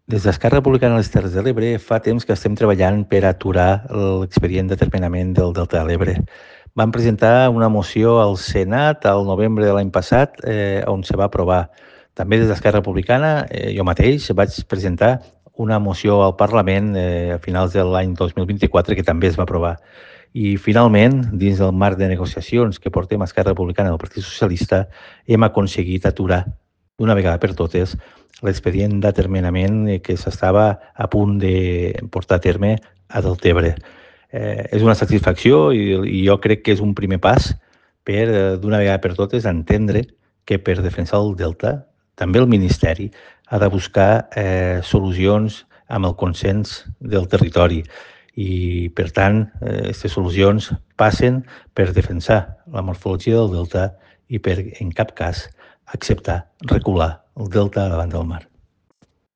Des d'Esquerra Republicana de les Terres de l'Ebre fa temps que estem treballant per aturar l'expedient d'atermenament del Delta de l'Ebre. Vam presentar una moció al Senat al novembre de l'any passat on se va aprovar. També des d'Esquerra Republicana, jo mateix, vaig presentar una moció al Parlament a finals de l'any 2024 que també es va aprovar. I finalment, dins del marc de negociacions que portem a Esquerra Republicana del Partit Socialista, hem aconseguit aturar d'una vegada per totes l'expedient d'atermenament que s'estava a punt de portar a terme a Deltebre. És una satisfacció i jo crec que és un primer pas per, d'una vegada per totes, entendre que per defensar el Delta, també el Ministeri ha de buscar solucions amb el consens del territori i, per tant, aquestes solucions passen per defensar la morfologia del Delta i per, en cap cas, acceptar recular el Delta davant del mar.